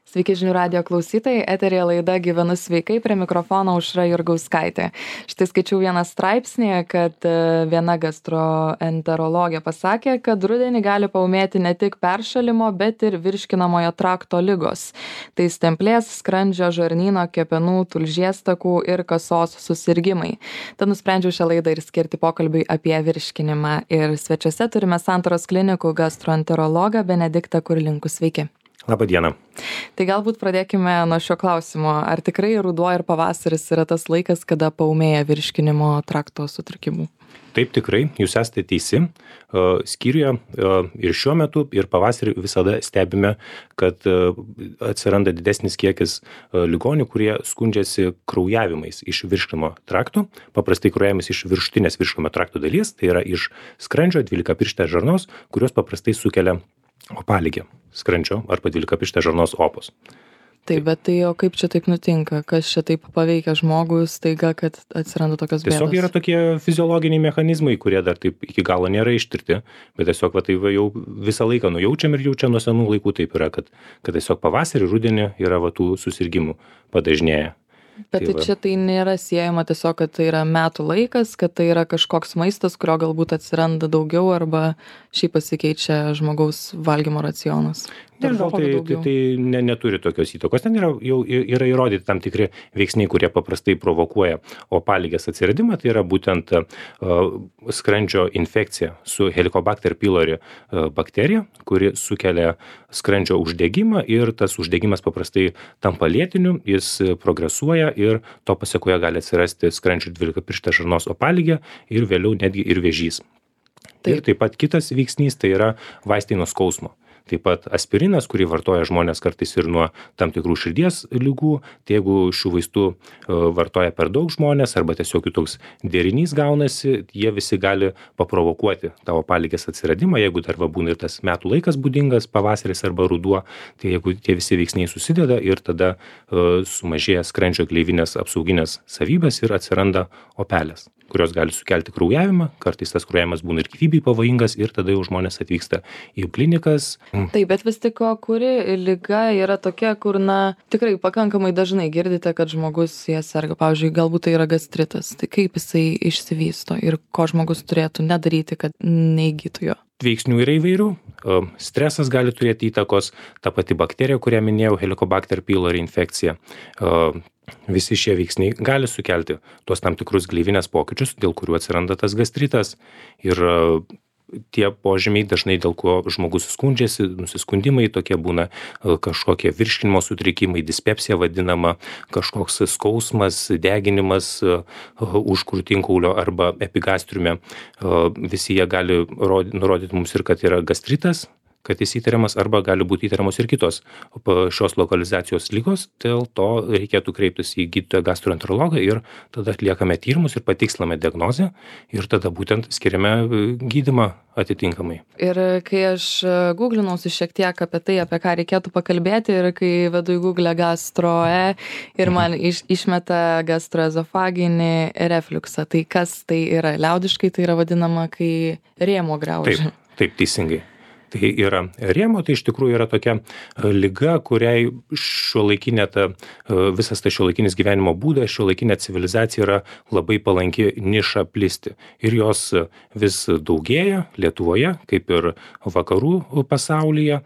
Sveiki žinių radijo klausytojai, eterėje laida Gyvenu sveikai, prie mikrofono Aušra Jurgauskaitė. Štai skaičiau vieną straipsnį, kad viena gastroenterologė pasakė, kad rudenį gali paūmėti ne tik peršalimo, bet ir virškinamojo trakto ligos. Tai stemplės, skrandžio, žarnyno, kepenų, tulžies takų ir kasos susirgimai. Tad nusprendžiau šią laidą ir skirti pokalbiui apie virškinimą. Ir svečiuose turime Santaros klinikų gastroenterologą Benediktą Kurlinkų. Sveiki. Labą dieną. Tai galbūt pradėkime nuo šio klausimo. Ar tikrai ruduo ir pavasaris yra tas laikas, kada paūmėja virškinimo trakto sutrikimų? Taip, tikrai, jūs esate teisi. Skyriuje ir šiuo metu, ir pavasarį visada stebime, kad atsiranda didesnis kiekis ligonių, kurie skundžiasi kraujavimais iš virškinimo trakto. Paprastai kraujavimas iš viršutinės virškinimo trakto dalies, tai yra iš skrandžio, 12-pirštės žarnos, kurios paprastai sukelia opaligę skrandžio arba 12-pirštės žarnos opos. Taip, bet tai o kaip čia taip nutinka? Kas čia taip paveikia žmogų staiga, kad atsiranda tokios bėdos? Tiesiog yra tokie fiziologiniai mechanizmai, kurie dar taip iki galo nėra ištirti, bet tiesiog tai jau visą laiką nujaučiam ir jau čia nuo senų laikų taip yra, kad tiesiog pavasarį, rudenį yra tų susirgimų padažnėja. Bet tai čia tai nėra siejama tiesiog, kad tai yra metų laikas, kad tai yra kažkoks maistas, kurio galbūt atsiranda daugiau arba šiaip pasikeičia žmogaus valgymo racionas. Nežinau, tai neturi tokios įtakos. Ten jau yra įrodyti tam tikri veiksniai, kurie paprastai provokuoja opaligės atsiradimą. Tai yra būtent skrandžio infekcija su Helicobacter pylori bakterija, kuri sukelia skrandžio uždegimą ir tas uždegimas paprastai tampa lėtiniu, jis progresuoja ir to pasekoje gali atsirasti skrandžio 12-pirštės žarnos opaligė ir vėliau netgi ir vėžys. Ir taip pat kitas veiksnys tai yra vaistai nuo skausmo. Taip pat aspirinas, kurį vartoja žmonės kartais ir nuo tam tikrų širdies ligų, tai jeigu šių vaistų vartoja per daug žmonės arba tiesiog jų toks derinys gaunasi, jie visi gali paprovokuoti tą opaligės atsiradimą, jeigu dar būna ir tas metų laikas būdingas, pavasaris arba ruduo, tai jeigu tie visi veiksniai susideda ir tada sumažėja skrandžio gleivinės apsauginės savybės ir atsiranda opelės, kurios gali sukelti kraujavimą, kartais tas kraujavimas būna ir gyvybei pavojingas ir tada jau žmonės atvyksta į klinikas. Taip, bet vis tik kuri liga yra tokia, kur, tikrai pakankamai dažnai girdite, kad žmogus jie serga. Pavyzdžiui, galbūt tai yra gastritas. Tai kaip jisai išsivysto ir ko žmogus turėtų nedaryti, kad neįgytų jo? Veiksnių yra įvairių. Stresas gali turėti įtakos, ta pati bakterija, kurią minėjau, Helicobacter pylori infekcija. Visi šie veiksniai gali sukelti tuos tam tikrus gleivinės pokyčius, dėl kurių atsiranda tas gastritas. Ir tie požymiai dažnai, dėl ko žmogus skundžiasi, nusiskundimai tokie būna kažkokie virškinimo sutrikimai, dispepsija vadinama, kažkoks skausmas, deginimas už krūtinkaulio arba epigastriume. Visi jie gali nurodyti mums ir, kad yra gastritas, kad jis įtariamas, arba gali būti įtariamos ir kitos šios lokalizacijos ligos, dėl to reikėtų kreiptis į gydytoją gastroenterologą ir tada atliekame tyrimus ir patikslame diagnozę ir tada būtent skiriame gydymą atitinkamai. Ir kai aš googlinausi šiek tiek apie tai, apie ką reikėtų pakalbėti ir kai vedu į Google gastroe ir man išmeta gastroezofaginį refliuksą, tai kas tai yra? Liaudiškai tai yra vadinama, kai rėmuo graužia. Taip, teisingai. Tai yra rėmo, tai iš tikrųjų yra tokia liga, kuriai visas tas šiuolaikinis gyvenimo būdas, šiuolaikinė civilizacija yra labai palanki niša plisti. Ir jos vis daugėja Lietuvoje, kaip ir vakarų pasaulyje,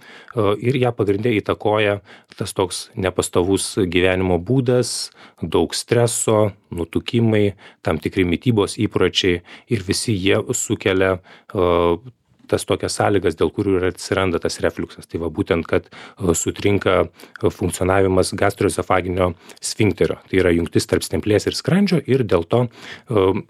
ir ją pagrindė įtakoja tas toks nepastovus gyvenimo būdas, daug streso, nutukimai, tam tikri mitybos įpročiai ir visi jie sukelia tas tokias sąlygas, dėl kurių ir atsiranda tas refliuksas. Tai būtent, kad sutrinka funkcionavimas gastroezofaginio sfinkterio. Tai yra jungtis tarp stemplės ir skrandžio ir dėl to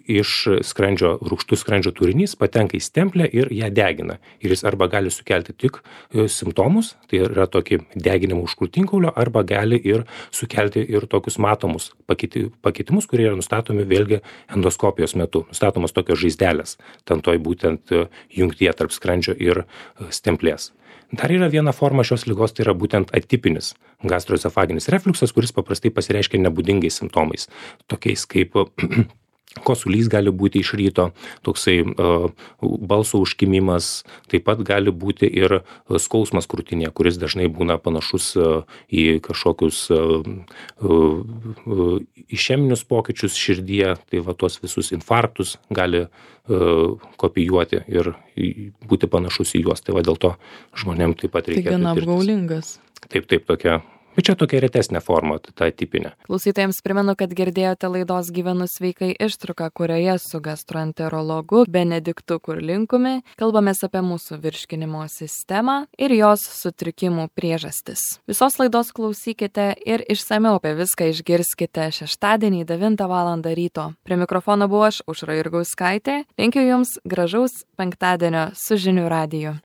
iš skrandžio rūgštus skrandžio turinys patenka į stemplę ir ją degina. Ir jis arba gali sukelti tik simptomus, tai yra tokį deginimą už krūtinkaulio, arba gali ir sukelti ir tokius matomus pakitimus, kurie yra nustatomi vėlgi endoskopijos metu. Nustatomos tokios žaizdelės, ten toj būtent jungtyje tarp skrandžio ir stemplės. Dar yra viena forma šios ligos, tai yra būtent atipinis gastroezofaginis refliuksas, kuris paprastai pasireiškia nebūdingais simptomais, tokiais kaip Kosulys gali būti iš ryto, toksai balso užkimimas, taip pat gali būti ir skausmas krūtinėje, kuris dažnai būna panašus į kažkokius išeminius pokyčius širdyje, tai va tuos visus infarktus gali kopijuoti ir būti panašus į juos. Tai va dėl to žmonėm taip pat reikia. Tai gana apgaulingas. Taip, tokia. Bet čia tokia retesnė forma, ta tipinė. Klausytojams primenu, kad girdėjote laidos Gyvenu sveikai ištrauką, kurioje su gastroenterologu Benediktu Kurlinkumi kalbamės apie mūsų virškinimo sistemą ir jos sutrikimų priežastis. Visos laidos klausykite ir išsamiau apie viską išgirskite šeštadienį 9 val. Ryto. Prie mikrofono buvau aš, Aušra Jurgauskaitė. Linkiu Jums gražaus penktadienio su žinių radiju.